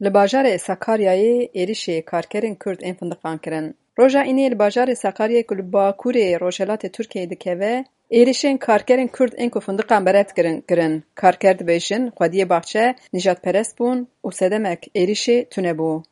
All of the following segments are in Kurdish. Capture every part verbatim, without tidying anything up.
Li bajarê Sakaryayê êrişê karkerên Kurd ên findiqan kirin. Roja Înê li bajarê Sakaryayê ku li bakurê rojhilatê Tirkiyeyê dikeve, êrişên karkerên Kurd ên ku findiqan berev kirin, kirin. Karker dibêjin, xwediyê baxçe nîjadperest bûn û sedemek êrişê tune bû.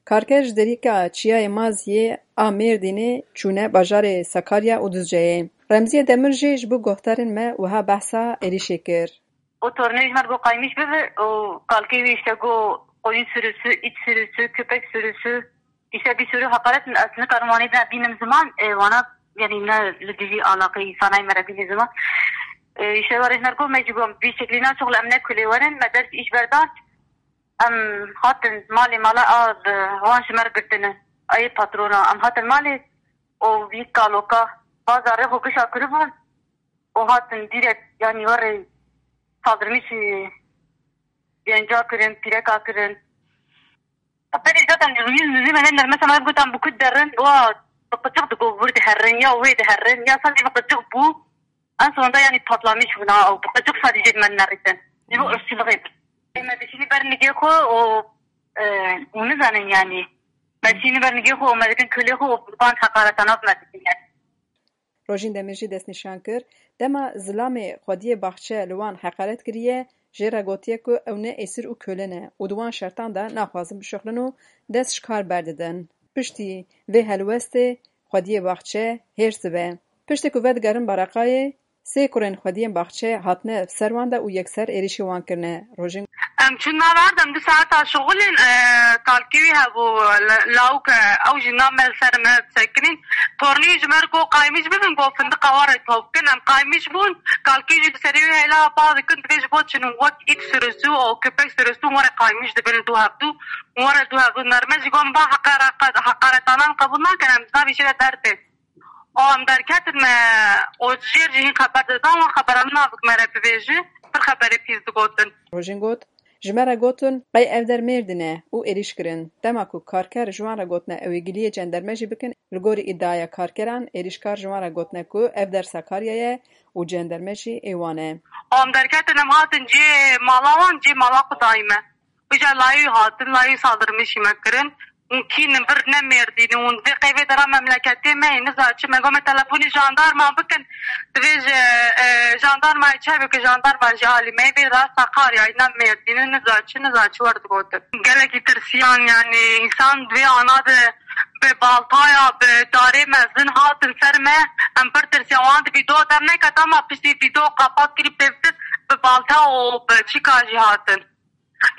Karker ji derîka çiyayê Maziyê a Mêrdînê çûne bajarê Sakarya û Duzceyê. Remziye Demir jî ji bo guhdarên me wiha behsa êrişê kir. O tornê ji me re got qaymîş bibe û kalkê wî îşte got koyun sürüsü, it sürüsü, köpek sürüsü. Îşte bir sürü hakaret, ez nikarim wanê de bînim ziman, e, wana, yani ne li dijî alaqê îsanay me re bînî ziman. E, îşte warê ji me re got me jî got vî şeklî naçox li em ne kulê werin, me dest îş berdan. Em hatin malê mala a bi wan ji me re girtine. Ayê patrona. Em hatin malê û vî kaloka bazarê xwe gişa kiribûn û hatin dîrek, yanî werê saldırmış, e, genca kirin, pîreka kirin. Berê zaten yüz yüz me ne nermesa me gotan bu kut derin, wa bi qıçıq digo wir diherin, ya wê diherin, ya sadece bi qıçıq bû. En sonunda yani patlamış buna, o bi qıçıq sadece me nerîtin. Ji bo ırkçılığı. Me dişini ber nigê xwe û, e, û nizanin yani. Me dişini ber nigê xwe û me dikin kulê xwe û van hakaretana me dikin yani. Rojîn Demir jî destnîşan kir, dema zilamê xwediyê baxçe li wan heqaret kiriye, jê re gotiye ku ew ne êsir û kole ne û di wan şertan de naxwazin bişuxlin û dest ji kar berdidin. Piştî vê helwestê xwediyê baxçe hêrs dibe. Piştî ku vedigerin Bareqayê, sê kurên xwediyên baxçe hatine ser wan de û yekser êrişî wan kirine. Rojîn Em çûn nava erd, em du saeta şixulên, e, kalkê wî hebû, la-, lawik, e, ew jî nav me li ser me sekinîn. Tornî ji me re got qaymîş bibin, got findiqa we re top bikin. Em qaymîş bûn, kalkê jî li serê wî heyla pa dikin, divê ji bo çin û wek ît sürüsü û köpek sürüsü were qaymîş dibin li dû hevdû, were dû hevdû nerme jî got, em ba heqara-, heqaretanan qebûl nakin, em ji navê jê re derbên. Û em derketin me, û jêr jî hîn xeber didan, wan xebera min navik me re bivêji, pir xeberê pîs digotin. Rojîn got, ji me re gotin, qey ev der Mêrdîn e û êrîş kirin. Dema ku karker ji wan re gotine ew ê giliyê cenderme jî bikin, li gorî îdiaya karkeran, êrîşkar ji wan re gotine ku ev der Sakarya ye û cenderme jî ê wan e. Û em derketin, em hatin cê mala wan, cê mala xwe dayî me. Îja layî hatin, layî saldırmışî me kirin. Hûn kî in, vir ne Mêrdîn in, hûn vê qey vê dera memleketê me yê, niza çi. Me got me telefonî jandarma bikin. Divê ji, e, jandarmayê çi hebe ku jandarma ji alî me yê, vê ra Sakaryayê, ne Mêrdîn in, niza çi, niza çi wer digotin. Gelekî tirsiyan, yani însan divê ana de bi baltaya, bi darê mezin hatin ser me. Em pir tirsiyan, wan di vîdeo derneket, ama piştî vîdeo qapat kirî pêvtir bi balta û bi çîka jî hatin.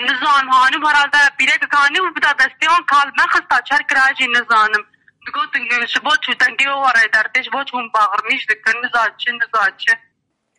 Nizanim, hanîm herhalde pîrekek hanî û bi da destê wan kal me xista çer kira jî nizanim. Digotin ji bo çû dengê we were derdê, ji bo çû hûn baxirmîş dikin, niza çi, niza çi.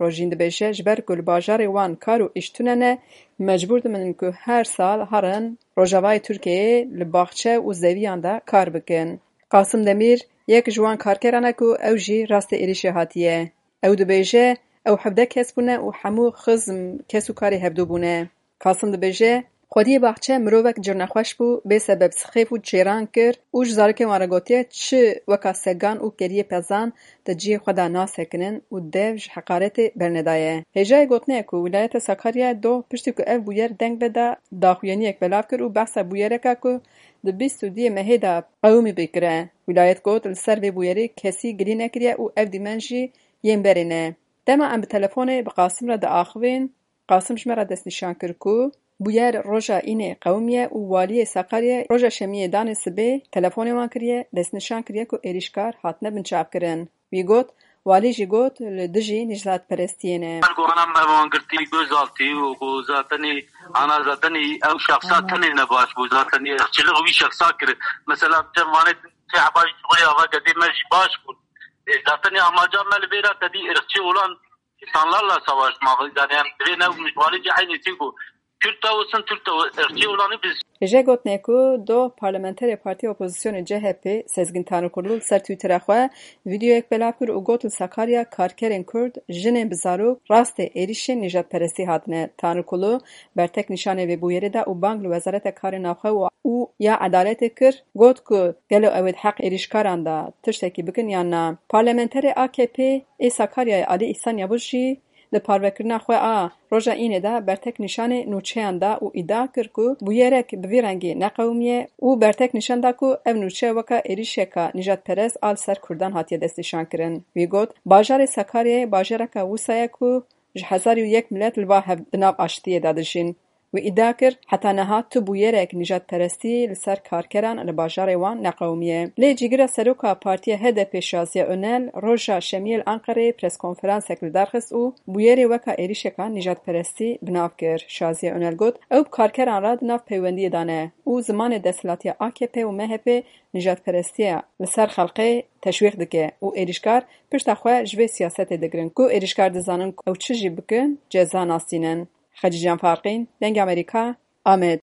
Rojîn dibêje, ji ber ku li bajarê wan kar û îş tune ne, mecbûr dibin ku her sal herin Rojavayê Tirkiyeyê li baxçe û zeviyan de kar bikin. Qasim Demîr yek ji wan karkeran e ku ew jî rastê êrîşê hatiye. Ew dibêje, ew hevdeh kes bûne û hemû xizm, kes û karê hevdû bûne. Qasim dibêje, xwediyê baxçe mirovek cirnexweş bû, bê sebeb sixêf û çêran kir û ji zarokên wan re gotiye, çi weka segan û keriyê pezan di cihê xwe de nasekinin û dev ji heqaretê bernedaye. Hêjayê gotinê ye ku wîlayeta Sakaryayê doh piştî ku ev bûyer deng veda, daxuyaniyek belav kir û behsa bûyereka ku di bîst û duyê mehê de qewimî bê kire. Wîlayet got, li ser vê bûyerê kesî gilî nekiriye û ev dîmen jî yên berê ne. Dema em bi telefonê bi Qasim re diaxivîn, Qasim ji me re destnîşan kir ku bûyer roja Înê qewimiye û waliyê Sakaryayê roja şemiyê danê sibê telefonê wan kiriye, destnîşan kiriye ku êrîşkar hatine binçavkirin. Wî got, walî jî got, li dijî nîjadperestiyê ne. Goran me wan girtî gözaltî û ku zatenî ana zatenî ew şexsa tenê ne baş bû, zatenî ırkçılık wî şexsa kir. Mesela cem Wanê tê heba ji xwe ya va gedê me jî baş bûn. E, zaten ya amaca me li vê re tedî ırkçı olan insanlarla savaşmak. Yani em divê ne mijvalê cî eynî tî ku Kürt de olsun, Türk de olsun, ırkçı olanı biz. Hêje gotinê ku doh parlamenterê Partiya Opozisyonê C H P Sezgin Tanrıkulu li ser Twitterê xwe vîdeoyek belav kir û got li Sakarya karkerên Kurd, jinên bi zarok rastê êrîşên nîjadperestî hatine. Tanrıkulu bertek nîşanê vê bûyerê da û bang li Wezareta Karê Navxwe û, û ya Edaletê kir, got ku gelo ew ê di heq êrîşkaran de tiştekî bikin yan na. Parlamenterê A K P ê Sakaryayê Alî Îhsan Yavuz jî Di parvekirina xwe a roja Înê de bertek nîşanê nûçeyan da û îdia kir ku bûyerek bi vî rengî neqewimiye û bertek nîşan da ku ev nûçe weke êrîşeka nîjadperest a li ser Kurdan hatiye destnîşankirin. Wî got, bajarê Sakaryayê bajareke wisa ye ku ji hezar û yek milet li ba hev di nav aştiyê de dijîn. Wî îdia kir, heta niha tu bûyerek nîjadperestî li ser karkeran li bajarê wan neqewimiye. Lê cîgira seroka partiya H D P Şaziye Önel roja Şemiyê li Anqereyê preskonferansek li dar xist û bûyerê weka êrîşeka nîjadperestî bi nav kir. Şaziye Önel got, ew bi karkeran re di nav peywendiyê de ne û zimanê desthilatiya A K P û M H P nîjadperestiya li ser xelkê teşwîq dike û êrîşkar pişta xwe ji vê siyasetê digirin ku êrîşkar dizanin ku ew çi jî bikin ceza nastînin. Xecîcan Farqîn, Dengê Amerîka, Amed.